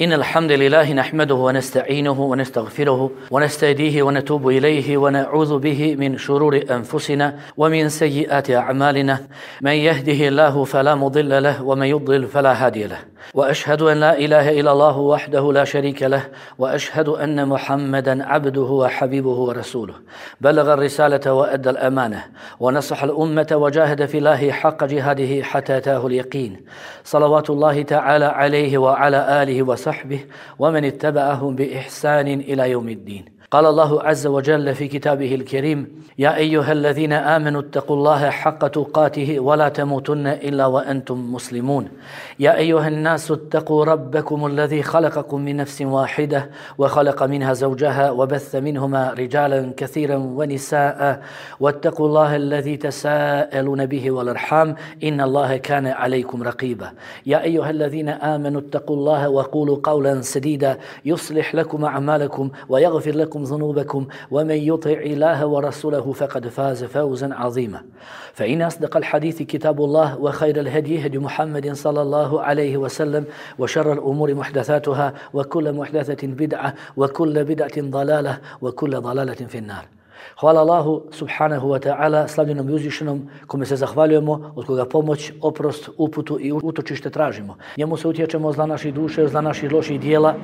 إن الحمد لله نحمده ونستعينه ونستغفره ونستهديه ونتوب إليه ونعوذ به من شرور أنفسنا ومن سيئات أعمالنا من يهده الله فلا مضل له ومن يضلل فلا هادي له وأشهد أن لا إله إلا الله وحده لا شريك له وأشهد أن محمدا عبده وحبيبه ورسوله بلغ الرسالة وأدى الأمانة ونصح الأمة وجاهد في الله حق جهاده حتى أتاه اليقين صلوات الله تعالى عليه وعلى آله وصحبه ومن اتبعهم بإحسان إلى يوم الدين. قال الله عز وجل في كتابه الكريم: يا أيها الذين آمنوا اتقوا الله حق تقاته ولا تموتن إلا وأنتم مسلمون. يا أيها الناس اتقوا ربكم الذي خلقكم من نفس واحدة وخلق منها زوجها وبث منهما رجالا كثيرا ونساء واتقوا الله الذي تساءلون به والأرحام إن الله كان عليكم رقيبا. يا أيها الذين آمنوا اتقوا الله وقولوا قولا سديدا يصلح لكم أعمالكم ويغفر لكم ذنوبكم ومن يطع الله ورسوله فقد فاز فوزا عظيما. فإن أصدق الحديث كتاب الله وخير الهدي هدي محمد صلى الله عليه وسلم وشر الأمور محدثاتها وكل محدثة بدعة وكل بدعة ضلالة وكل ضلالة في النار. Hvala Allahu subhanahu wa ta'ala, slavljenom i uzvišenom, kome se zahvaljujemo, od koga pomoć, oprost, uputu i utočište tražimo. Njemu se utječemo zla naših duše, zla naših loših dijela.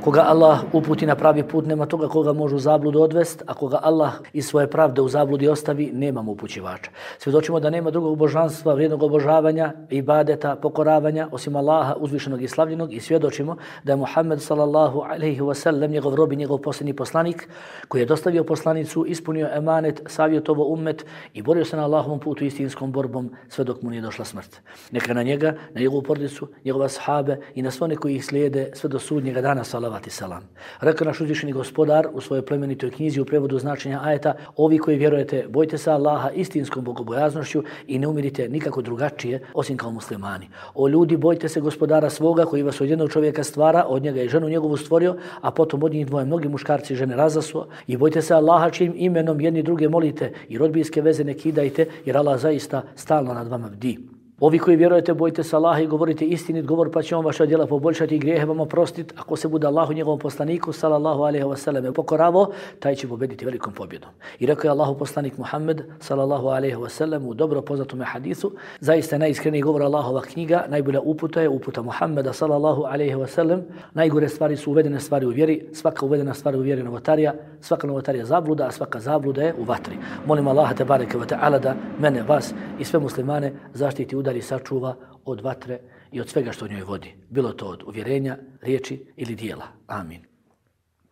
Koga Allah uputi na pravi put, nema toga koga može u zabludu odvest, a koga Allah iz svoje pravde u zabludi ostavi, nemamo upućivača. Svjedočimo da nema drugog božanstva, vrijednog obožavanja, ibadeta, pokoravanja, osim Allaha uzvišenog i slavljenog, i svjedočimo da je Muhammed sallallahu alejhi ve sellem njegov rob i njegov posljednji poslanik, koji je dostavio poslanicu, ispunio emanet, savjetovo ummet i borio se na Allahovom putu istinskom borbom sve dok mu nije došla smrt. Neka na njega, na njegovu porodicu, njegove ashabe i na sve one koji ih slijede sve do sudnjega dana, salavat i salam. Rekao naš uzvišeni gospodar u svojoj plemenitoj knjizi u prevodu značenja ajeta: ovi koji vjerujete, bojte se Allaha istinskom bogobojaznošću i ne umirite nikako drugačije osim kao muslimani. O ljudi, bojte se gospodara svoga koji vas od jednog čovjeka stvara, od njega i ženu njegovu stvorio, a potom od njih dvoje mnogi muškarci i žene razasuo, i bojte se Allaha čijim imenom jedni druge molite i rodbinske veze ne kidajte, jer Allah zaista stalno nad vama bdi. Ovi koji vjerujete, bojte se Allaha i govorite istinit govor, pa će on vaša djela poboljšati i grijehe vam oprostiti. Ako se bude Allahu njegovom poslaniku sallallahu alejhi ve sellem pokoravo, taj će pobediti velikom pobjedom. I rekao je Allahu poslanik Muhammed sallallahu alejhi ve sellem u dobro poznatom hadisu: zaista najiskreniji govor Allahova knjiga, najbolja uputa je uputa Muhammeda sallallahu alejhi ve sellem. Najgore stvari su uvedene stvari u vjeri, svaka uvedena stvar u vjeri novotarija, svaka novotarija zabluda, a svaka zabluda je u vatri. Molim Allaha te bareke ve taala da mene, vas i sve muslimane zaštiti, udari, sačuva od vatre i od svega što u njoj vodi, bilo to od uvjerenja, riječi ili dijela. Amin.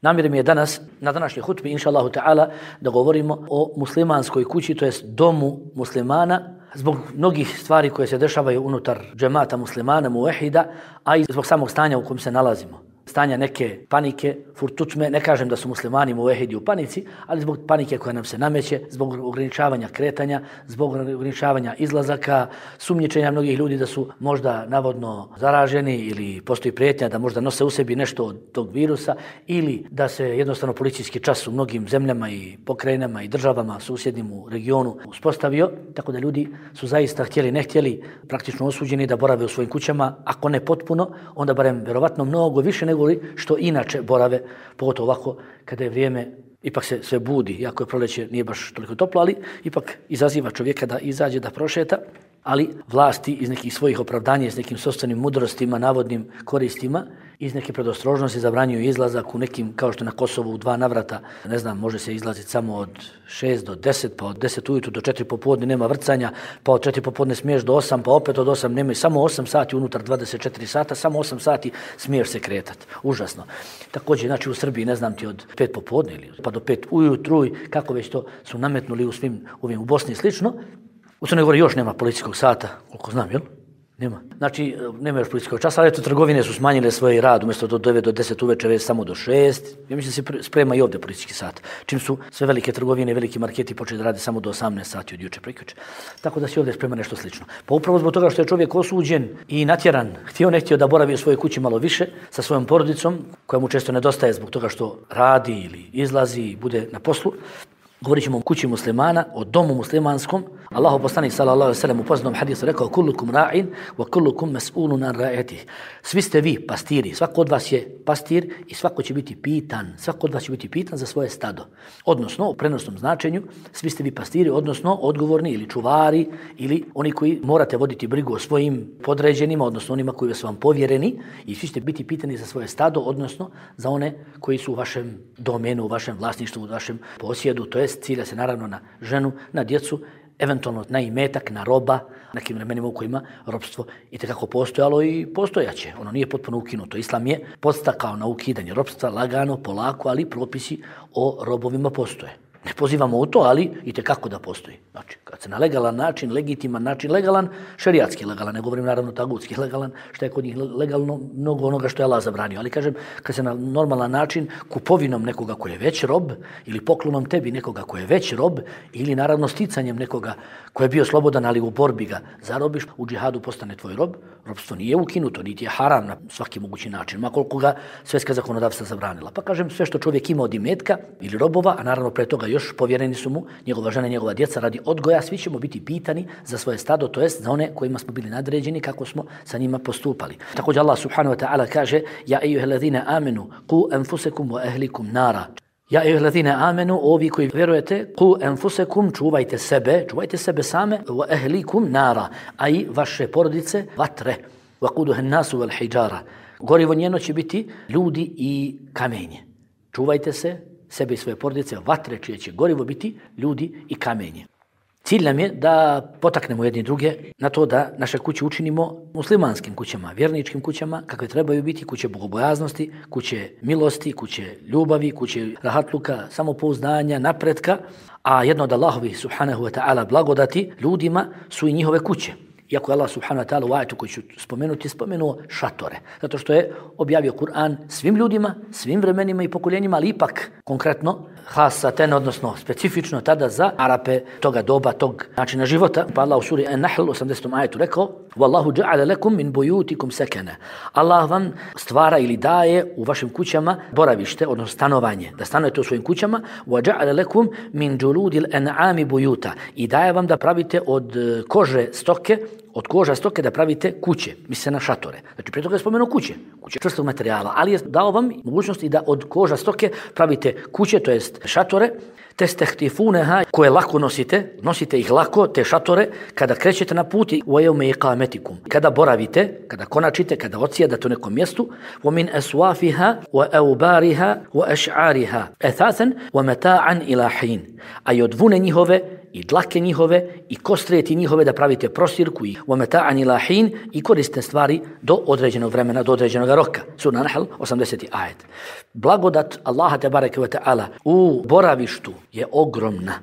Namjer mi je danas, na današnjoj hutbi, inša Allahu ta'ala, da govorimo o muslimanskoj kući, to jest domu muslimana, zbog mnogih stvari koje se dešavaju unutar džemata muslimana, muvehida, a i zbog samog stanja u kojem se nalazimo. Stanja neke panike, furtutme, ne kažem da su muslimani muvehidi u panici, ali zbog panike koja nam se nameće, zbog ograničavanja kretanja, zbog ograničavanja izlazaka, sumnjičenja mnogih ljudi da su možda navodno zaraženi ili postoji prijetnja da možda nose u sebi nešto od tog virusa, ili da se jednostavno policijski čas u mnogim zemljama i pokrajinama i državama susjednim u regionu uspostavio, tako da ljudi su zaista htjeli ne htjeli praktično osuđeni da borave u svojim kućama, ako ne potpuno, onda barem vjerovatno mnogo više nego što inače borave, pogotovo ovako kada je vrijeme, ipak se sve budi, iako je proljeće nije baš toliko toplo, ali ipak izaziva čovjeka da izađe, da prošeta, ali vlasti iz nekih svojih opravdanja, iz nekim sopstvenim mudrostima, navodnim koristima, iz neke predostrožnosti zabranjuju izlazak u nekim, kao što na Kosovu u 2 navrata, ne znam, može se izlaziti samo od 6 do 10, pa od 10 ujutru do 4 popodne nema vrcanja, pa od 4 popodne smiješ do 8, pa opet od 8 nema, samo 8 sati unutar 24 sata, samo 8 sati smiješ se kretati. Užasno. Također, znači u Srbiji, ne znam ti, od 5 popodne ili pa do 5 ujutru, kako već to su nametnuli u svim ovim, u Bosni i slično. U Crnoj Gori još nema policijskog sata, koliko znam, jel? Nema. Znači, nema još policijskog časa, ali eto, trgovine su smanjile svoj rad, umjesto do 9 do 10 uveče, već samo do 6. Ja mislim da se sprema i ovdje policijski sat. Čim su sve velike trgovine, veliki marketi počeli da rade samo do 18 sati od juče prekjuče. Tako da se ovdje sprema nešto slično. Pa upravo zbog toga što je čovjek osuđen i natjeran, htio ne htio da boravi u svojoj kući malo više sa svojom porodicom, koja mu često nedostaje zbog toga što radi ili izlazi i bude na poslu, Govorit ćemo o kući muslimana, o domu muslimanskom. Allahu poslanik sallallahu alejhi ve sellem u poznatom hadisu rekao: "Kullukum ra'in wa kullukum mas'ulun an ra'iyatihi." Svi ste vi pastiri, svako od vas je pastir i svako će biti pitan, svako od vas će biti pitan za svoje stado. Odnosno, u prenosnom značenju, svi ste vi pastiri, odnosno odgovorni ili čuvari ili oni koji morate voditi brigu o svojim podređenima, odnosno onima koji su vam povjereni, i svi ćete biti pitani za svoje stado, odnosno za one koji su u vašem domenu, u vašem vlasništvu, u vašem posjedu, to jest cilja se naravno na ženu, na djecu, eventualno na imetak, na roba, nekim vremenima u kojima ropstvo itekako postojalo i postojaće. Ono nije potpuno ukinuto. Islam je podstakao na ukidanje ropstva lagano, polako, ali propisi o robovima postoje. Ne pozivamo u to, ali itekako da postoji. Znači, kad se na legalan način, legitiman način, legalan, šerijatski legalan, ne govorim naravno tagutski legalan, što je kod njih legalno mnogo onoga što je Allah zabranio. Ali kažem, kad se na normalan način kupovinom nekoga koji je već rob ili poklonom tebi nekoga koji je već rob ili naravno sticanjem nekoga koji je bio slobodan, ali u borbi ga zarobiš, u džihadu postane tvoj rob, robstvo nije ukinuto, niti je haram na svaki mogući način, ma koliko ga svjetska zakonodavstva zabranila. Pa kažem, sve što čovjek ima od imetka ili robova, a naravno pre toga još povjereni su mu njegova žena i njegova djeca radi odgoja, svi ćemo biti pitani za svoje stado, to jest za one kojima smo bili nadređeni, kako smo sa njima postupali. Također Allah subhanahu wa ta'ala kaže: "Ja ejuhellazine amenu, qu anfusakum wa ahlikum nara." Ja ejuhellazine amenu, ovi koji vjerujete, qu anfusakum, čuvajte sebe same, wa ahlikum nara, a i vaše porodice vatre, wa quduha an-nasu wal hijara. Gorivo njeno će biti ljudi i kamenje. Čuvajte se, sebe i svoje porodice, vatre čije će gorivo biti ljudi i kamenje. Cilj nam je da potaknemo jedni druge na to da naše kuće učinimo muslimanskim kućama, vjerničkim kućama, kakve trebaju biti, kuće bogobojaznosti, kuće milosti, kuće ljubavi, kuće rahatluka, samopouzdanja, napretka, a jedno od Allahovi subhanahu wa ta'ala blagodati ljudima su i njihove kuće. Iako je Allah subhanahu wa ta'ala u ajetu koji ću spomenuti, spomenuo šatore. Zato što je objavio Kur'an svim ljudima, svim vremenima i pokoljenjima, ali ipak konkretno hasaten, odnosno specifično tada za Arape toga doba, tog načina života. Pa Allah u suri An-Nahl 80. ajetu rekao: "Wallahu ja'ala lakum min buyutikum sakana." Allah vam stvara ili daje u vašim kućama boravište, odnosno stanovanje, da stanujete u svojim kućama. "Wa ja'ala lakum min juludil an'ami buyuta." I daje vam da pravite od kože stoke, od koža stoke da pravite kuće, misli se na šatore. Znači, prije toga je spomenuo kuće čvrstog materijala, ali je dao vam mogućnosti da od koža stoke pravite kuće, to jest šatore, testehtifuneha, koje lako nosite ih lako, te šatore, kada krećete na put, u yawmi iqametikum, kada boravite, kada konačite, kada odsjedate u nekom mjestu, wa min aswafiha wa awbariha wa ash'ariha athathan wa mata'an ila hin. A i od vune njihove i dlake njihove i kostrijeti njihove da pravite prostirku i wa mata'an ila hin i koristne stvari do određenog vremena, do određenog roka. Sura An-Nahl 80. ajet. Blagodat Allaha tebareke ve ta'ala u boravištu je ogromna.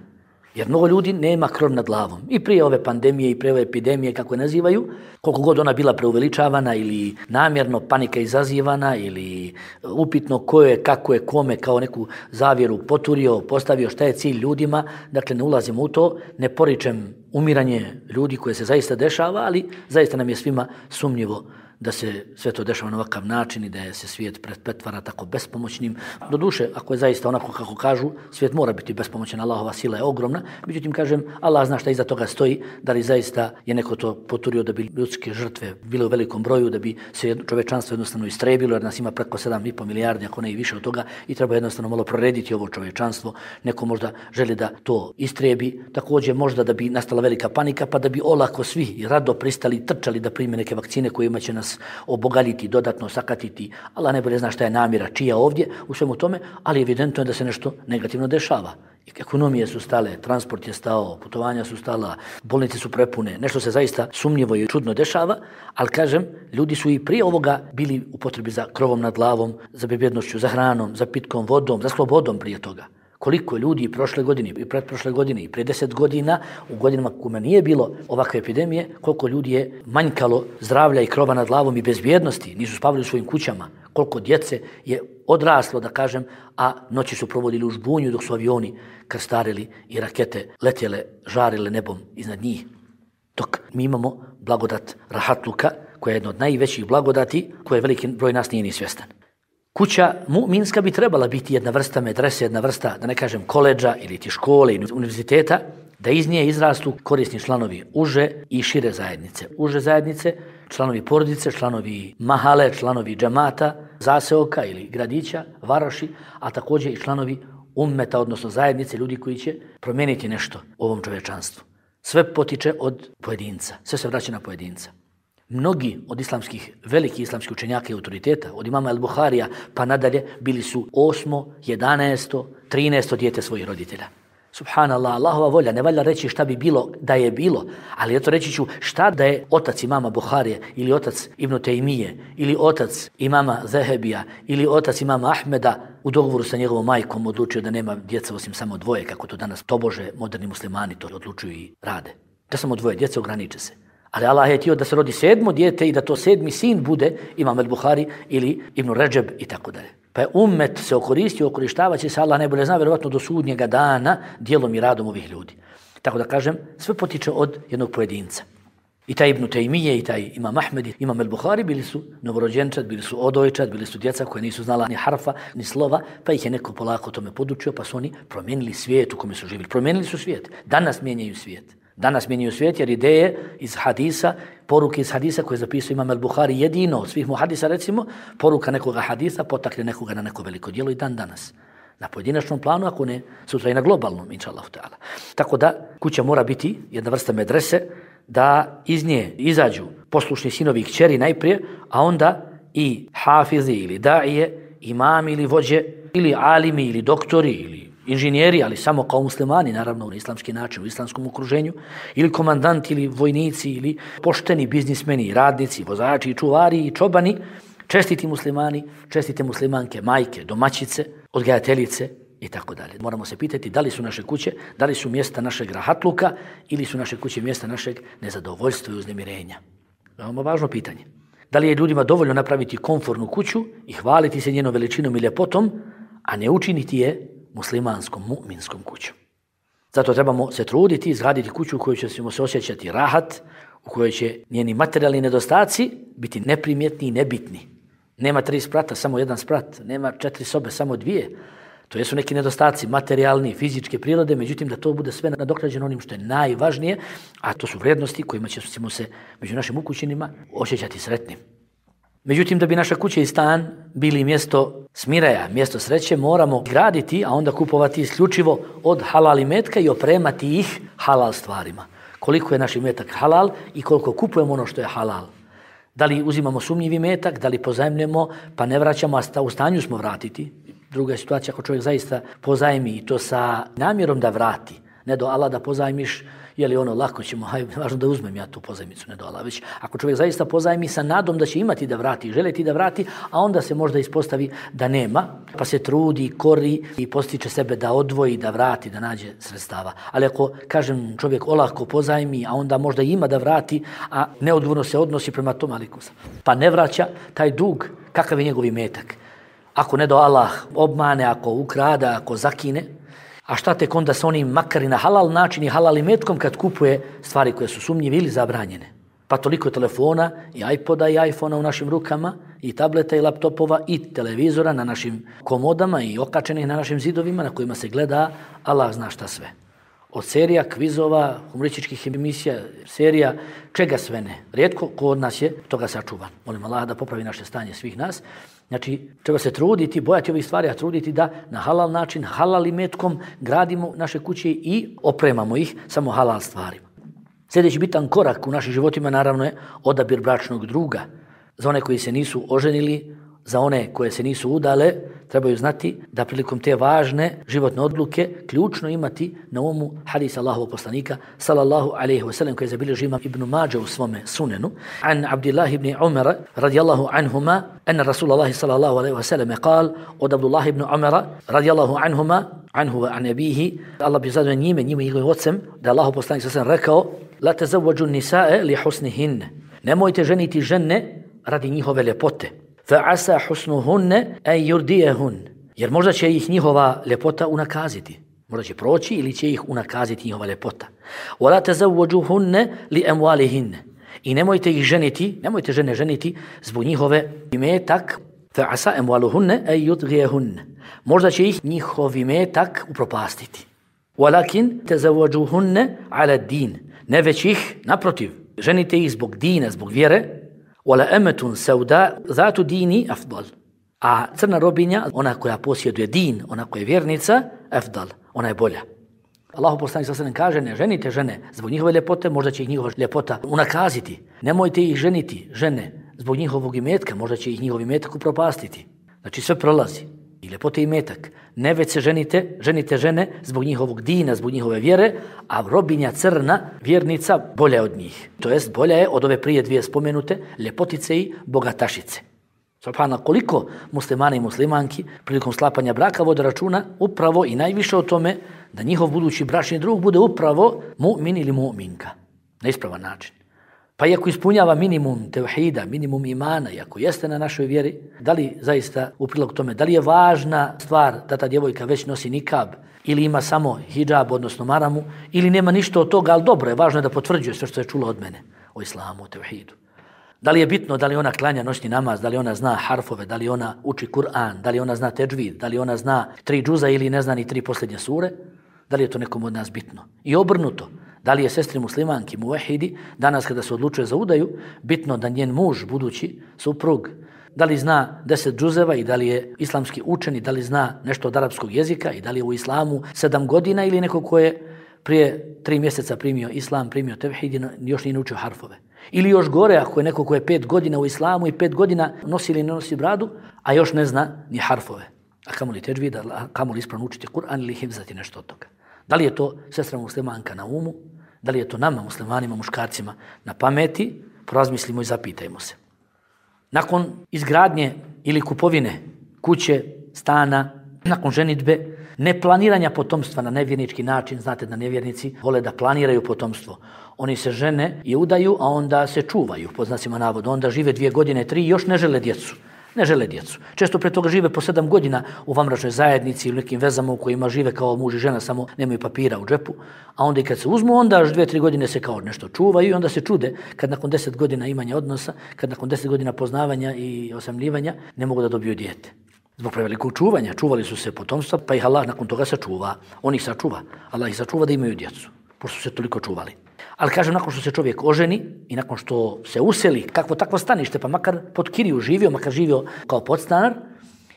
Jer mnogo ljudi nema krov nad glavom. I prije ove pandemije i prije ove epidemije, kako je nazivaju, koliko god ona bila preuveličavana ili namjerno panika izazivana ili upitno ko je, kako je, kome kao neku zavjeru poturio, postavio šta je cilj ljudima. Dakle, ne ulazimo u to, ne poričem umiranje ljudi koje se zaista dešava, ali zaista nam je svima sumnjivo da se sve to dešava na ovakav način i da se svijet pretvara tako bespomoćnim. Doduše, ako je zaista onako kako kažu, svijet mora biti bespomoćan, Allahova sila je ogromna. Međutim, kažem, Allah zna šta iza toga stoji, da li zaista je neko to poturio da bi ljudske žrtve bile u velikom broju, da bi se čovečanstvo jednostavno istrebilo, jer nas ima preko 7,5 milijardi, ako ne i više od toga, i treba jednostavno malo prorediti ovo čovečanstvo. Neko možda želi da to istrebi, također možda da bi nastala velika panika, pa da bi olako svi rado pristali i trčali da prime neke vakcine kojima će nas obogaliti, dodatno sakatiti. Allah najbolje zna šta je namjera, čija ovdje u svemu tome, ali evidentno je da se nešto negativno dešava. Ekonomije su stale, transport je stao, putovanja su stala, bolnice su prepune, nešto se zaista sumnjivo i čudno dešava, ali kažem, ljudi su i prije ovoga bili u potrebi za krovom nad glavom, za bezbjednošću, za hranom, za pitkom vodom, za slobodom prije toga. Koliko ljudi prošle godine i pretprošle godine i prije 10 godina, u godinama kome nije bilo ovakve epidemije, koliko ljudi je manjkalo zdravlja i krova nad glavom i bezbjednosti, nisu spavali u svojim kućama, koliko djece je odraslo, da kažem, a noći su provodili u žbunju dok su avioni krstarili i rakete letjele, žarile nebom iznad njih. Dok mi imamo blagodat rahatluka, koja je jedna od najvećih blagodati, koje veliki broj nas nije ni svjestan. Kuća mu'minska bi trebala biti jedna vrsta medrese, jedna vrsta, da ne kažem, koledža ili ti škole ili univerziteta, da iz nje izrastu korisni članovi uže i šire zajednice. Uže zajednice, članovi porodice, članovi mahale, članovi džemata, zaseoka ili gradića, varoši, a također i članovi ummeta, odnosno zajednice, ljudi koji će promijeniti nešto u ovom čovječanstvu. Sve potiče od pojedinca, sve se vraća na pojedinca. Mnogi od velikih islamskih učenjaka i autoriteta, od imama al-Buharija pa nadalje, bili su 8., 11., 13. dijete svojih roditelja. Subhanallah, Allahova volja, ne valja reći šta bi bilo da je bilo, ali eto reći ću šta da je otac imama Buharije ili otac Ibn Tejmije ili otac imama Zehebija ili otac imama Ahmeda u dogovoru sa njegovom majkom odlučio da nema djeca osim samo 2, kako to danas tobože moderni muslimani to odlučuju i rade. Da samo 2 djece, ograniče se. Ali Allah je htio da se rodi 7. dijete i da to 7. sin bude imam al-Buhari ili Ibn Ređeb i tako dalje. Pa je ummet se okorištavaće se, Allah najbolje zna, vjerovatno do sudnjega dana, djelom i radom ovih ljudi. Tako da kažem, sve potiče od jednog pojedinca. I taj Ibn Tejmije, i taj imam Ahmed, imam al-Buhari bili su novorođenčad, bili su odojčad, bili su djeca koje nisu znala ni harfa, ni slova, pa ih je neko polako tome podučio, pa su oni promijenili svijet u kome su živjeli. Promijenili su svijet. Danas mijenjaju svijet. Danas mijenjaju svijet jer ideje iz hadisa, poruke iz hadisa koje zapisuje imam al-Buhari jedino od svih muhadisa, recimo, poruka nekoga hadisa potakne nekoga na neko veliko djelo i dan danas. Na pojedinačnom planu, ako ne, sutra i na globalnom, inša Allah ta'ala. Tako da kuća mora biti jedna vrsta medrese, da iz nje izađu poslušni sinovi i kćeri najprije, a onda i hafizi ili daije, imami ili vođe, ili alimi ili doktori ili inženjeri, ali samo kao muslimani, naravno na islamski način, u islamskom okruženju, ili komandanti, ili vojnici, ili pošteni biznismeni, radnici, vozači, čuvari i čobani, čestiti muslimani, čestite muslimanke, majke, domaćice, odgajateljice i tako dalje. Moramo se pitati da li su naše kuće, da li su mjesta našeg rahatluka ili su naše kuće mjesta našeg nezadovoljstva i uznemirenja. Veoma važno pitanje. Da li je ljudima dovoljno napraviti komfortnu kuću i hvaliti se njenom veličinom i ljepotom, a ne učiniti je muslimanskom, mu'minskom kućom. Zato trebamo se truditi, izgraditi kuću u kojoj ćemo se osjećati rahat, u kojoj će njeni materijalni nedostaci biti neprimjetni i nebitni. Nema 3 sprata, samo 1 sprat. Nema 4 sobe, samo 2. To jesu neki nedostaci materijalni, fizičke prirode, međutim da to bude sve nadoknađeno onim što je najvažnije, a to su vrijednosti kojima ćemo se među našim ukućenima osjećati sretnim. Međutim, da bi naša kuća i stan bili mjesto smiraja, mjesto sreće, moramo graditi, a onda kupovati isključivo od halal imetka i opremati ih halal stvarima. Koliko je naš imetak halal i koliko kupujemo ono što je halal. Da li uzimamo sumnjivi imetak, da li pozajmljemo pa ne vraćamo, a u stanju smo vratiti. Druga je situacija ako čovjek zaista pozajmi i to sa namjerom da vrati. Ne do Allah da pozajmiš, je li ono lako ćemo, važno da uzmem ja tu pozajmicu, ne do Allah, već ako čovjek zaista pozajmi sa nadom da će imati da vrati, želiti da vrati, a onda se možda ispostavi da nema, pa se trudi, kori i postiče sebe da odvoji, da vrati, da nađe sredstava. Ali ako, kažem, čovjek olako pozajmi, a onda možda ima da vrati, a neodgovorno se odnosi prema tom alikusa, pa ne vraća taj dug, kakav je njegov imetak. Ako ne do Allah obmane, ako ukrada, ako zakine, a šta tek onda sa onim makar i na halal način i halal imetkom kad kupuje stvari koje su sumnjive ili zabranjene. Pa toliko telefona i iPoda i iPhona u našim rukama i tableta i laptopova i televizora na našim komodama i okačenih na našim zidovima na kojima se gleda Allah zna šta sve. Od serija, kvizova, humorističkih emisija, serija, čega sve ne. Rijetko ko od nas je toga sačuvan. Molim Allah da popravi naše stanje svih nas. Znači, treba se truditi, bojati ovih stvari, a truditi da na halal način, halal imetkom gradimo naše kuće i opremamo ih samo halal stvarima. Sljedeći bitan korak u našim životima naravno je odabir bračnog druga. Za one koji se nisu oženili, za one koje se nisu udale, trebaju znati da prilikom te važne životne odluke ključno imati na umu hadis Allahovog poslanika sallallahu alejhi ve sellem koji je zabilježio imam Ibn Mađe u svome sunenu an Abdullah ibn Umar radijallahu anhuma anna Rasulullah sallallahu alejhi ve sellem قال od Abdullah ibn Umara radijallahu anhuma anhu wa an abihi Allah bi zadovoljan njime njegovim ocem da Allahov poslanik sallallahu rekao la tazawwaju nisaa li husnihin nemojte ženiti žene radi njihove ljepote فَعَسَى حُسْنُهُنَّ أَنْ يُرْدِيَهُنَّ jer možda će ih njihova ljepota unakaziti. Možda će proći ili će ih unakaziti njihova ljepota. وَلَا تَزَوَّجُهُنَّ لِأَمْوَالِهِنَّ i nemojte ih ženiti, nemojte žene ženiti zbog njihove imetak فَعَسَا أَمْوَالُهُنَّ أَنْ يُطْغِيَهُنَّ Možda će ih njihov imetak upropastiti. وَلَكِنْ تَزَوَّجُوهُنَّ عَلَى الدِّينِ Ne već ih, naprotiv, ženite ih zbog dina, zbog vjere. وَلَأَمَةٌ سَوْدَاء ذَاتُ دِينِ أَفْضَلُ A crna robinja, ona koja posjeduje din, ona koja je vjernica, afdal, ona je bolja. Allahu poslanik sallallahu alejhi ve sellem kaže: ne ženite žene zbog njihove ljepote, možda će ih njihova ljepota unakaziti. Nemojte ih ženiti, žene, zbog njihovog imetka, možda će ih njihov imetak upropastiti. Znači sve prolazi. I ljepote i imetak. Ne već se ženite žene zbog njihovog dina, zbog njihove vjere, a robinja crna, vjernica, bolja je od njih. To jest bolja je od ove prije dvije spomenute ljepotice i bogatašice. Subhanallah, koliko muslimana i muslimanki prilikom sklapanja braka vode računa upravo i najviše o tome da njihov budući bračni drug bude upravo mu'min ili mu'minka na ispravan način. Pa iako ispunjava minimum tevhida, minimum imana, iako jeste na našoj vjeri, da li zaista u prilog tome, da li je važna stvar da ta djevojka već nosi nikab ili ima samo hidžab, odnosno maramu, ili nema ništa od toga, ali dobro je, važno je da potvrđuje sve što je čula od mene o islamu, o tevhidu. Da li je bitno da li ona klanja noćni namaz, da li ona zna harfove, da li ona uči Kur'an, da li ona zna teđvid, da li ona zna 3 džuza ili ne zna ni 3 posljednje sure, da li je to nekom od nas bitno? I obrnuto, da li je sestri muslimanki, muvehidi, danas kada se odlučuje za udaju, bitno da njen muž, budući suprug, da li zna 10 džuzeva i da li je islamski učen i da li zna nešto od arapskog jezika i da li je u islamu 7 godina ili neko ko je prije 3 mjeseca primio islam, primio tevhid i još nije naučio harfove. Ili još gore, ako je neko ko je 5 godina u islamu i 5 godina nosi ili ne nosi bradu, a još ne zna ni harfove. A kamo li teđvid, a kamo li ispravno učiti Kur'an ili hifzati nešto od toga. Da li je to sestra muslimanka na umu, da li je to nama muslimanima, muškarcima na pameti, porazmislimo i zapitajmo se. Nakon izgradnje ili kupovine kuće, stana, nakon ženidbe, neplaniranja potomstva na nevjernički način, znate da nevjernici vole da planiraju potomstvo. Oni se žene i udaju, a onda se čuvaju, po znacima navoda. Onda žive 2 godine, 3 i još ne žele djecu. Ne žele djecu. Često pre toga žive po 7 godina u vanbračnoj zajednici ili nekim vezama u kojima žive kao muž i žena, samo nemaju papira u džepu. A onda i kad se uzmu, onda još 2-3 godine se kao nešto čuvaju i onda se čude kad nakon 10 godina imanja odnosa, kad nakon 10 godina poznavanja i osamljivanja ne mogu da dobiju dijete. Zbog prevelikog čuvanja, čuvali su se potomstva, pa ih Allah nakon toga sačuva. On ih sačuva. Allah ih sačuva da imaju djecu, pošto su se toliko čuvali. Ali kažem, nakon što se čovjek oženi i nakon što se useli, kakvo takvo stanište, pa makar pod kiriju živio, makar živio kao podstanar,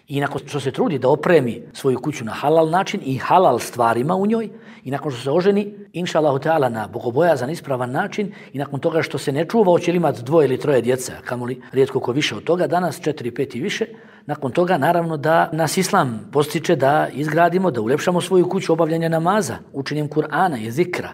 i nakon što se trudi da opremi svoju kuću na halal način i halal stvarima u njoj, i nakon što se oženi, inša Allahu Teala, na bogobojazan, ispravan način, i nakon toga što se ne čuva, hoće li imati 2 ili 3 djeca, kamoli rijetko ko više od toga, danas 4, 5 i više, nakon toga naravno da nas Islam postiče da izgradimo, da uljepšamo svoju kuću obavljanja namaza, učenjem Kur'ana i zikra,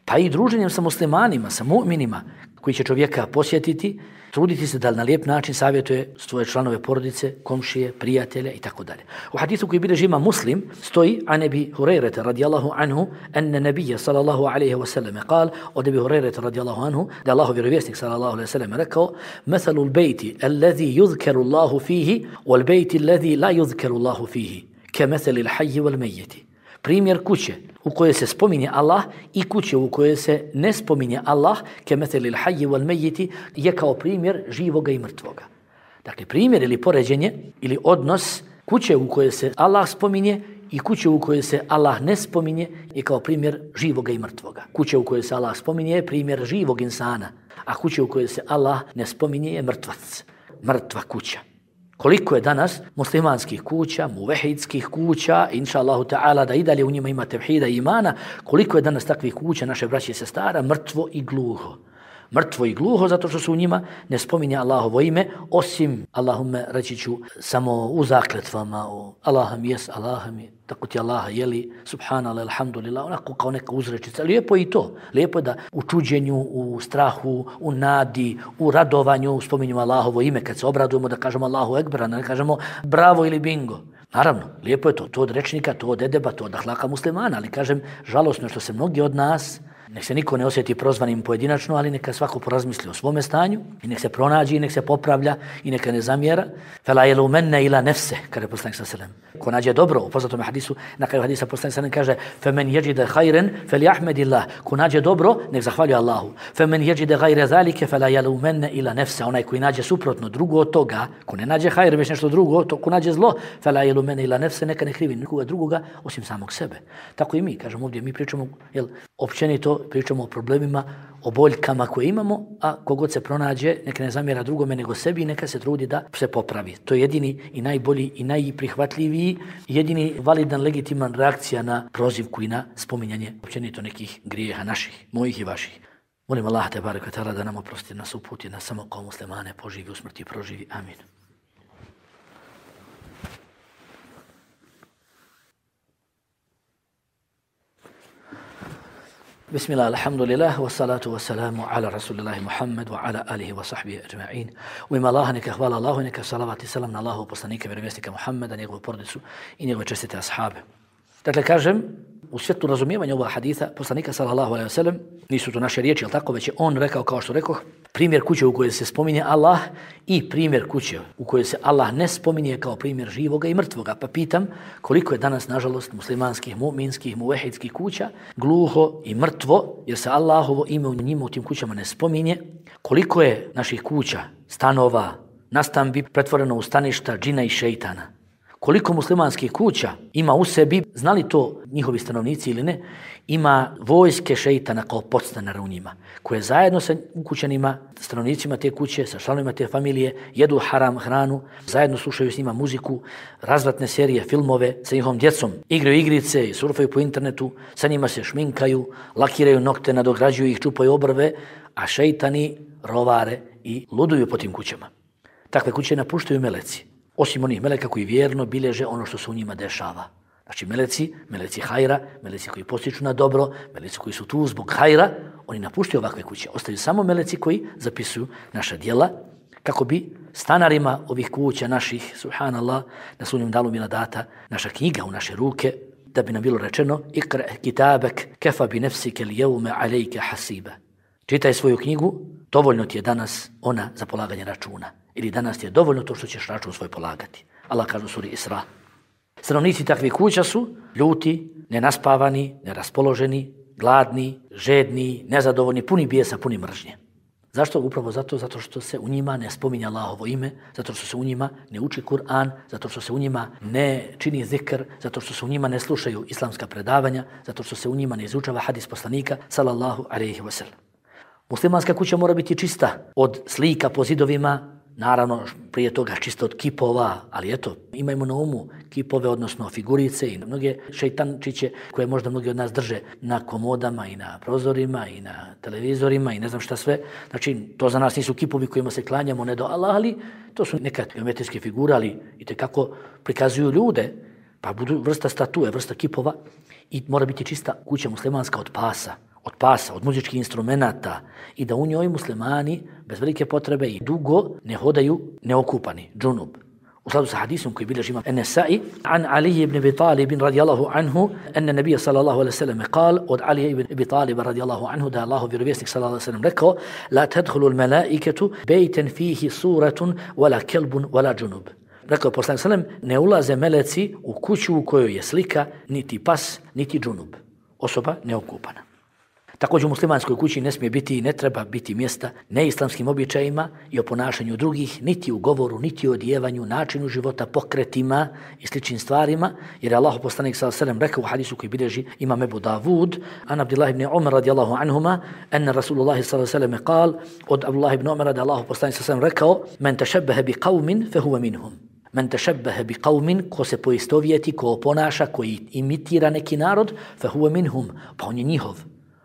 pa i druženjem sa muslimanima, sa mu'minima koji će čovjeka posjetiti, truditi se da na lijep način savjetuje svoje članove porodice, komšije, prijatelje i tako dalje. U hadisu koji bilježi Imam Muslim stoji an Ebi Hurajrata radijallahu anhu enne nebija sallallahu alaihi wa sallam kal od Ebi Hurajrata radijallahu anhu da Allahov vjerovjesnik sallallahu alaihi wa sallam rekao mathalu l-bejti alladhi yuzkaru Allahu fihi wal bejti alladhi la yuzkaru Allahu fihi ke mathali l-hayyi wal mejjeti. Primjer kuće u kojoj se spominje Allah i kuće u kojoj se ne spominje Allah, kemethelil hayyi wal meyyiti, je kao primjer živoga i mrtvoga. Dakle, primjer ili poređenje ili odnos kuće u kojoj se Allah spominje i kuće u kojoj se Allah ne spominje je kao primjer živoga i mrtvoga. Kuće u kojoj se Allah spominje je primjer živog insana, a kuće u kojoj se Allah ne spominje je mrtvac, mrtva kuća. Koliko je danas muslimanskih kuća, muvehidskih kuća, inša Allahu ta'ala da i dalje u njima ima tevhida i imana, koliko je danas takvih kuća, naše braće i sestara, mrtvo i gluho. Mrtvo i gluho zato što se u njima ne spominje Allahovo ime, osim, Allahumme, reći ću, samo u zakletvama, Allaham jes, Allaham je, tako ti Allaha jeli, subhanallah, alhamdulillah, onako kao neka uzrečica. Lijepo je i to. Lijepo je da u čuđenju, u strahu, u nadi, u radovanju spominjemo Allahovo ime. Kad se obradujemo da kažemo Allahu ekber, a ne kažemo bravo ili bingo. Naravno, lijepo je to. To od rečnika, to od edeba, to od ahlaka muslimana. Ali kažem, žalosno što se mnogi od nas Nek se niko ne osjeti prozvanim pojedinačno, ali neka svako porazmisli o svome stanju i nek se pronađi i nek se popravlja i neka ne zamjera. Fela yelumenne ila nefse, kaže poslanik sallallahu alejhi ve sellem. Ko nađe dobro, u poznatom hadisu, na kraju hadisa poslanik sallallahu alejhi ve sellem kaže: "Femen yajida khayran falyahmadillah." Ko nađe dobro, nek zahvaljuje Allahu. "Femen yajida ghayra zalika fela yelumenne ila nefse." Onaj koji nađe suprotno, drugo od toga, ko ne nađe hajr, već nešto drugo, to ko nađe zlo, fela yelumenne ila nefse, neka ne krivi nikoga drugoga osim samog sebe. Tako i mi, kažemo ovdje, mi pričamo, općenito pričamo o problemima, o boljkama koje imamo, a kogod se pronađe, neka ne zamjera drugome nego sebi i neka se trudi da se popravi. To je jedini i najbolji i najprihvatljiviji, jedini validan, legitiman reakcija na prozivku i na spominjanje općenito nekih grijeha naših, mojih i vaših. Molim Allah te barek ve taala da nam oprosti, nas uputi, nas samo kao muslimane poživi u smrti, proživi. Amin. Bismillah, alhamdulillah, wassalatu wassalamu ala rasulillahi Muhammad wa ala alihi wa sahbihi ajma'in. U ime Allaha neka hvala Allahu, neka salavat i salam na Allahu poslanika, vjerovjesnika Muhammeda, njegovu porodicu i njegove čestite ashabe. Dakle, kažem, u svjetlu razumijevanja ovog haditha poslanika sallallahu alejhi ve sellem, nisu to naše riječi, al tako, već je on rekao, kao što rekoh, primjer kuće u kojoj se spominje Allah i primjer kuće u kojoj se Allah ne spominje kao primjer živoga i mrtvoga. Pa pitam, koliko je danas, nažalost, muslimanskih, mu'minskih, muvehidskih kuća gluho i mrtvo, jer se Allahovo ime u njima u tim kućama ne spominje. Koliko je naših kuća, stanova, nastambi pretvoreno u staništa džina i šejtana. Koliko muslimanskih kuća ima u sebi, znali to njihovi stanovnici ili ne, ima vojske šejtana kao podstanara u njima, koje zajedno sa ukućanima, stanovnicima te kuće, sa članovima te familije, jedu haram hranu, zajedno slušaju s njima muziku, razvratne serije, filmove, sa njihovom djecom, igraju igrice, surfaju po internetu, sa njima se šminkaju, lakiraju nokte, nadograđuju ih, čupaju obrve, a šejtani rovare i luduju po tim kućama. Takve kuće napuštaju meleci. Osim onih meleka koji vjerno bilježe ono što se u njima dešava. Znači meleci hajra, meleci koji postiču na dobro, meleci koji su tu zbog hajra, oni napuštaju ovakve kuće. Ostaju samo meleci koji zapisuju naša djela, kako bi stanarima ovih kuća naših, subhanallah, na sudnjem danu bila data naša knjiga u naše ruke, da bi nam bilo rečeno: "Ikra kitabek kafa bi nafsika al-yawma alayka hasiba." Čitaj svoju knjigu, dovoljno ti je danas ona za polaganje računa. Ili danas ti je dovoljno to što ćeš račun svoj polagati. Allah kaže u suri Isra. Stanovnici takvih kuća su ljuti, nenaspavani, neraspoloženi, gladni, žedni, nezadovoljni, puni bijesa, puni mržnje. Zašto? Upravo zato što se u njima ne spominje Allahovo ime, zato što se u njima ne uči Kur'an, zato što se u njima ne čini zikr, zato što se u njima ne slušaju islamska predavanja, zato što se u njima ne izučava hadis poslanika sallallahu alejhi ve sellem. Muslimanska kuća mora biti čista od slika po zidovima, naravno prije toga čisto od kipova, ali eto, imajmo na umu kipove, odnosno figurice i mnoge šejtančiće koje možda mnogi od nas drže na komodama i na prozorima i na televizorima i ne znam šta sve. Znači, to za nas nisu kipovi kojima se klanjamo ne do Allah, ali to su neka geometrijske figure, ali itekako prikazuju ljude, pa budu vrsta statue, vrsta kipova i mora biti čista kuća muslimanska od pasa, od muzičkih instrumenata i da u njoj muslimani bez velike potrebe i dugo ne hodaju neokupani, džunub. U skladu sa hadisom koji bilježi imam An-Nasa'i, an Ali ibn Abi Talib radijallahu anhu, enne nabija sallallahu alaihi sallam kal, od Ali ibn Abi Talib radijallahu anhu, da je Allahov vjerovjesnik sallallahu alaihi sallam rekao: "La tadkhulu al-malaikatu bejten fihi suratun, wala kelbun, wala džunub." Rekao poslanik sallam, ne ulaze meleci u kuću u kojoj je slika, niti pas, niti džunub. Osoba neokupana. Također u muslimanskoj kući ne smije biti i ne treba biti mjesta neislamskim običajima i o ponašanju drugih, niti u govoru, niti u odjevanju, načinu života, pokretima i sličnim stvarima, jer je Allahu poslanik sallallahu alejhi ve sellem rekao u hadisu koji bilježi imam Ebu Davud, an Abdullah ibn Umar radijallahu anhuma, anna Rasulullah sallallahu alejhi ve sellem kal, od Abdullah ibn Umara da Allahu poslanik sallallahu alejhi ve sellem rekao: "Men tashabbaha bi qaumin fa huwa minhum." Men tashabbaha bi qaumin, ko se poistovjeti, ko ponaša, koji imitira neki narod, fa huwa minhum, pa on je njihov.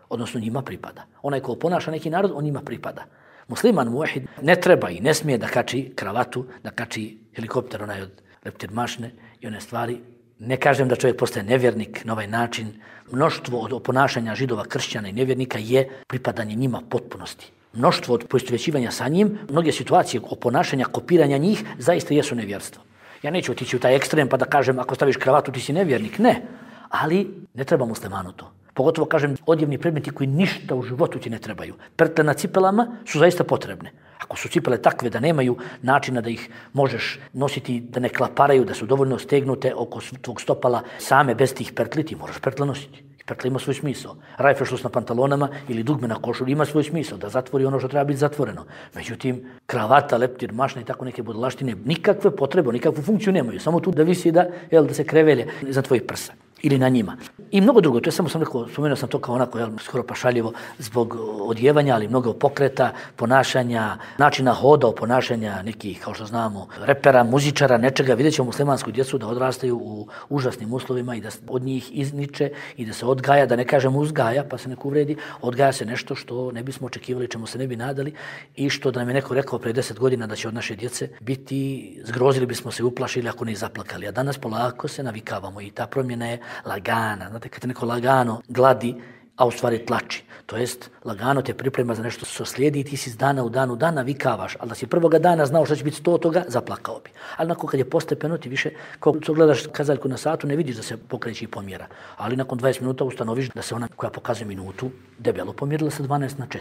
Odnosno njima pripada. Onaj ko ponaša neki narod, on njima pripada. Musliman muvahid ne treba i ne smije da kači kravatu, da kači helikopter onaj od leptir mašne i one stvari. Ne kažem da čovjek postaje nevjernik na ovaj način. Mnoštvo od ponašanja židova, kršćana i nevjernika je pripadanje njima potpunosti. Mnoštvo od poistovjećivanja sa njim, mnoge situacije o ponašanja, kopiranja njih, zaista jesu nevjerstvo. Ja neću otići u taj ekstrem pa da kažem ako staviš kravatu ti si nevjernik. Ne. Ali ne treba muslimanu to. Pogotovo, kažem, odjevni predmeti koji ništa u životu ti ne trebaju. Pertle na cipelama su zaista potrebne. Ako su cipele takve da nemaju načina da ih možeš nositi, da ne klaparaju, da su dovoljno stegnute oko tvog stopala same bez tih pertli, ti moraš pertle nositi. Pertla ima svoj smisao. Rajfešlus na pantalonama ili dugme na košulji ima svoj smisao, da zatvori ono što treba biti zatvoreno. Međutim, kravata, leptir, mašna i tako neke budalaštine nikakve potrebe, nikakvu funkciju nemaju. Samo tu da visi da se krevelje za tvojih prsa ili na njima. I mnogo drugo, to je samo sam rekao, spomenuo sam to kao onako skoro pašaljivo zbog odjevanja, ali mnogo pokreta, ponašanja, načina hoda, ponašanja nekih, kao što znamo, repera, muzičara, nečega. Vidjet ćemo muslimansku djecu da odrastaju u užasnim uslovima i da od njih izniče i da se odgaja, da ne kažem uzgaja, pa se neko uvredi, odgaja se nešto što ne bismo očekivali, čemu se ne bi nadali i što da nam je neko rekao pre 10 godina da će od naše djece biti, zgrozili bismo se, uplašili ako ne i zaplakali. A danas polako se navikavamo i ta promjena je lagana. Znate, kad te neko lagano gladi, a u stvari tlači. To jest, lagano te priprema za nešto što slijedi i ti si iz dana u dan navikavaš. Ali da si prvoga dana znao što će biti 100 toga, zaplakao bi. Ali nakon kad je postepeno, ti više, kao gledaš kazaljku na satu, ne vidiš da se pokreće i pomjera. Ali nakon 20 minuta ustanoviš da se ona koja pokazuje minutu debelo pomjerila sa 12 na 4.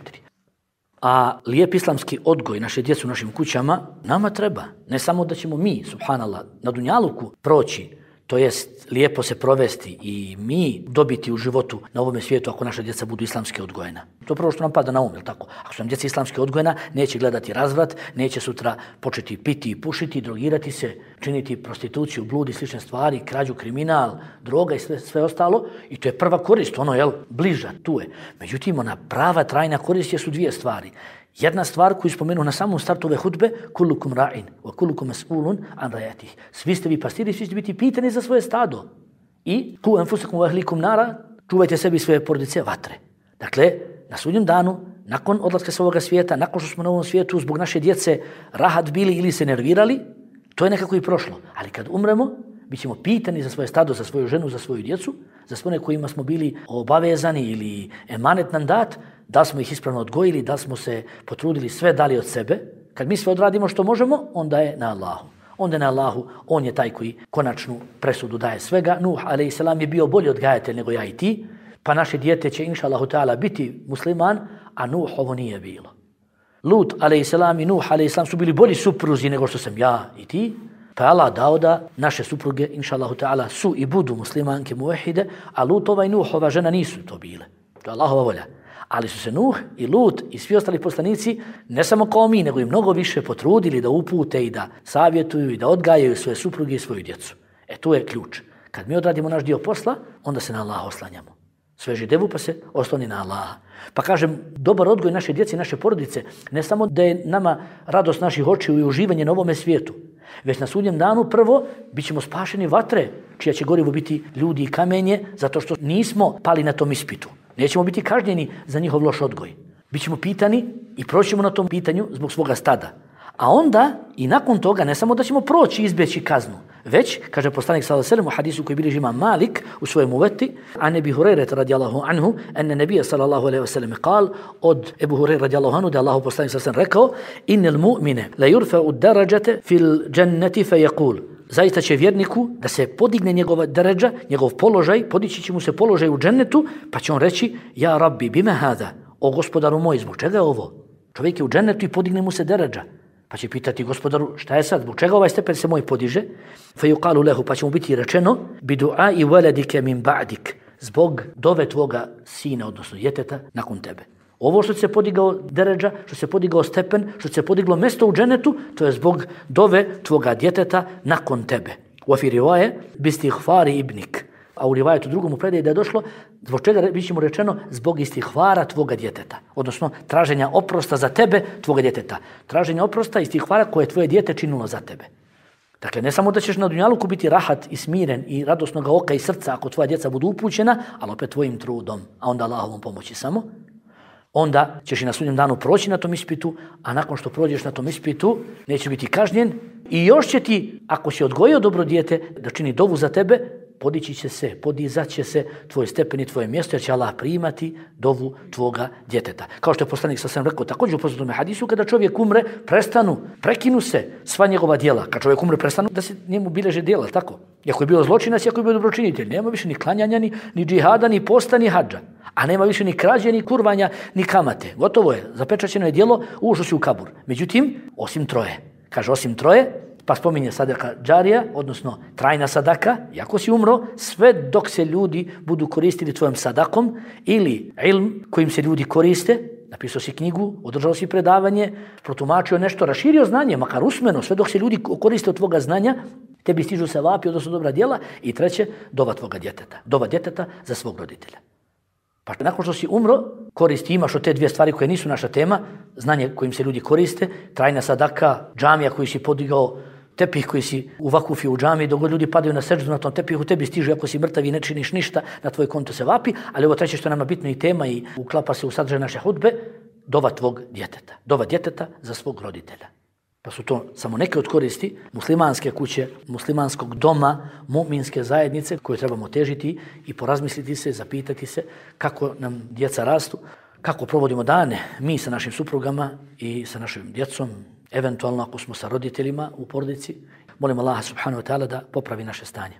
A lijep islamski odgoj naše djece u našim kućama nama treba. Ne samo da ćemo mi, subhanallah, na dunjaluku proći, to jest lijepo se provesti i mi dobiti u životu na ovome svijetu ako naša djeca budu islamski odgojena. To je prvo što nam pada na um, jel tako? Ako su nam djeca islamski odgojena, neće gledati razvrat, neće sutra početi piti i pušiti, drogirati se, činiti prostituciju, blud i slične stvari, krađu, kriminal, droga i sve ostalo. I to je prva korist, bliža, tu je. Međutim, ona prava, trajna korist su dvije stvari. Jedna stvar koju spomenu na samom startu ove hudbe, kullukum ra'in wa kullukum mas'ulun an ra'yatih. Svi ste vi pastiri, svi ćete biti pitani za svoje stado. I ku anfusakum wa ahlikum nara, čuvajte sebi svoje porodice vatre. Dakle, na sudnjem danu, nakon odlaska sa ovoga svijeta, nakon što smo na ovom svijetu zbog naše djece rahat bili ili se nervirali, to je nekako i prošlo. Ali kad umremo, bit ćemo pitani za svoje stado, za svoju ženu, za svoju djecu, za sve one kojima smo bili obavezani ili emanet nam dat, da smo ih ispravno odgojili, da smo se potrudili, sve dali od sebe. Kad mi sve odradimo što možemo, onda je na Allahu. Onda je na Allahu, on je taj koji konačnu presudu daje svega. Nuh, a.s. je bio bolji odgajatelj nego ja i ti, pa naše dijete će, inša Allahu ta'ala, biti musliman, a Nuh ovo nije bilo. Lut, a.s. i Nuh, a.s. su bili bolji supruzi nego što sam ja i ti, pa je Allah dao da naše supruge, inša Allahu ta'ala, su i budu muslimanke muvahide, a Lutova i Nuhova žena nisu to bile. To je Allahova volja. Ali su se Nuh i Lut i svi ostali poslanici, ne samo kao mi, nego i mnogo više potrudili da upute i da savjetuju i da odgajaju svoje supruge i svoju djecu. Tu je ključ. Kad mi odradimo naš dio posla, onda se na Allaha oslanjamo. Sveži devu pa se osloni na Allaha. Pa kažem, dobar odgoj naše djece i naše porodice, ne samo da je nama radost naših očiju i uživanje na ovome svijetu, već na sudnjem danu prvo bit ćemo spašeni vatre, čija će gorivo biti ljudi i kamenje, zato što nismo pali na tom ispitu. Nećemo biti kažnjeni za njihov loš odgoj. Bićemo pitani i proćemo na tom pitanju zbog svoga stada. A onda i nakon toga ne samo da ćemo proći i izbjeći kaznu, već, kaže poslanik sallallahu alejhi ve sellem u hadisu koji bilježi Imam Malik u svojem uveti, an Ebi Hurajre radijallahu anhu, enne nebija sallallahu alejhi ve sellem kal, od Ebu Hurajre radijallahu anhu, da Allahu poslanik sallallahu alejhi ve sellem rekao, innel mu'mine la yurfa'u darajate fil dženneti fe yaqul. Zaista će vjerniku da se podigne njegova deređa, njegov položaj, podići će mu se položaj u džennetu, pa će on reći, ja rabbi, bime hada, o gospodaru moj, zbog čega je ovo? Čovjek je u džennetu i podigne mu se deređa. Pa će pitati gospodaru, šta je sad, zbog čega ovaj stepen se moj podiže? Fe yuqalu lehu, pa će mu biti rečeno, bi du'ai waladike min ba'dik, zbog dove tvoga sina, odnosno djeteta, nakon tebe. Ovo što se podigao deređa, što se podigao stepen, što se podiglo mjesto u dženetu, to je zbog dove tvoga djeteta nakon tebe. U afi rivaje, bistihvari ibnik. A u rivajetu drugom u predaji da je došlo, zbog čega bit će mu rečeno, zbog istihvara tvoga djeteta. Odnosno, traženja oprosta za tebe, tvoga djeteta. Traženja oprosta i istihvara koje je tvoje dijete činilo za tebe. Dakle, ne samo da ćeš na dunjaluku biti rahat i smiren i radosnog oka i srca ako tvoja djeca budu upućena, ali opet tvojim trudom, a onda Allahovom pomoći samo. Onda ćeš i na sudnjem danu proći na tom ispitu, a nakon što prođeš na tom ispitu, nećeš biti kažnjen i još će ti, ako si odgojio dobro dijete, da čini dovu za tebe, podići će se, podizat će se tvoj stepen i tvoje mjesto, jer će Allah primati dovu tvoga djeteta. Kao što je poslanik sam rekao, također u poznatom hadisu, kada čovjek umre, prekinu se sva njegova djela. Kad čovjek umre, prestanu da se njemu bileže djela, tako? Iako je bio zločinac, iako je bio dobročinitelj, nema više ni klanjanja, ni džihada, ni posta, ni hadža. A nema više ni krađe, ni kurvanja, ni kamate. Gotovo je, zapečaćeno je djelo, ušao si u kabur. Međutim, osim troje. Kaže, osim troje, pa spominje sadaka džarija, odnosno trajna sadaka, iako si umro, sve dok se ljudi budu koristili tvojom sadakom ili ilm kojim se ljudi koriste, napisao si knjigu, održao si predavanje, protumačio nešto, raširio znanje, makar usmeno, sve dok se ljudi koriste od tvoga znanja, tebi stižu sevapi, odnosno dobra djela. I treće, dova tvoga djeteta. Dova djeteta za svog roditelja. Pa nakon što si umro, koristi imaš od te dvije stvari koje nisu naša tema, znanje kojim se ljudi koriste, trajna sadaka, džamija koju si podigao, tepih koji si uvakufio u džamiji, dok ljudi padaju na seždu na tom tepihu, tebi stiže ako si mrtav i ne činiš ništa, na tvoj konto se vapi, ali ovo treće što je nama bitno i tema i uklapa se u sadržaj naše hudbe, dova tvog djeteta. Dova djeteta za svog roditelja. Pa su to samo neke od koristi muslimanske kuće, muslimanskog doma, mu'minske zajednice koje trebamo težiti i porazmisliti se, zapitati se kako nam djeca rastu, kako provodimo dane mi sa našim suprugama i sa našim djecom, eventualno ako smo sa roditeljima u porodici. Molim Allaha subhanahu wa ta'ala da popravi naše stanje.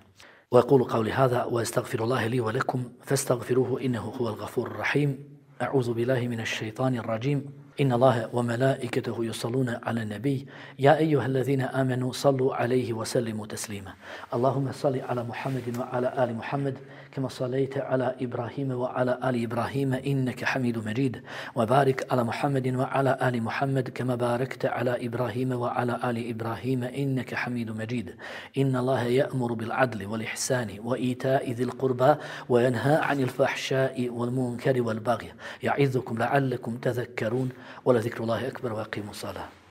وأقول قولي هذا وأستغفر الله لي ولكم فاستغفروه إنه هو الغفور الرحيم. أعوذ بالله من الشيطان الرجيم. إن الله وملائكته يصلون على النبي يا أيها الذين آمنوا صلوا عليه وسلموا تسليما. اللهم صل على محمد وعلى آل محمد كما صليت على إبراهيم وعلى آل إبراهيم إنك حميد مجيد. وبارك على محمد وعلى آل محمد كما باركت على إبراهيم وعلى آل إبراهيم إنك حميد مجيد. إن الله يأمر بالعدل والإحسان وإيتاء ذي القربى وينهى عن الفحشاء والمنكر والبغي يعظكم لعلكم تذكرون ولذكر الله أكبر وأقيموا الصلاة.